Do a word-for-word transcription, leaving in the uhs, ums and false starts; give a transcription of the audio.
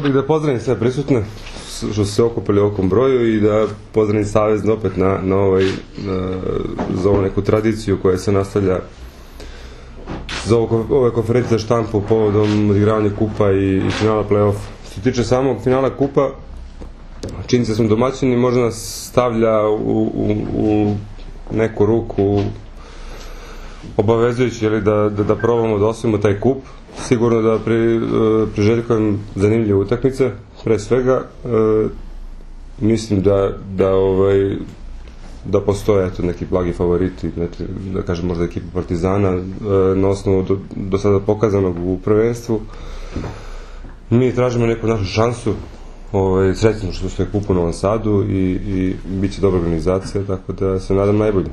bih da pozdravim sve prisutne što su se okupili u ovom broju i da pozdravim Savez opet na, na, ovaj, na, za ovu neku tradiciju koja se nastavlja za ovo, ove konferencije za štampu povodom odigravanja kupa i, i finala play-off. Što se tiče samog finala kupa, činjenica smo domaćini, možda nas stavlja u, u, u neku ruku obavezujući ili da, da, da probamo da osvojimo taj kup. Sigurno da pri, priželjkujem zanimljive utakmice, pre svega. E, mislim da, da, ovaj, da postoje eto, neki blagi favoriti, znači, da kažem možda ekipa Partizana, e, na osnovu do, do sada pokazanog u prvenstvu. Mi tražimo neku našu šansu, ovaj, srećno što se kupu u Novom Sadu i, i bit će dobra organizacija, tako da se nadam najbolje.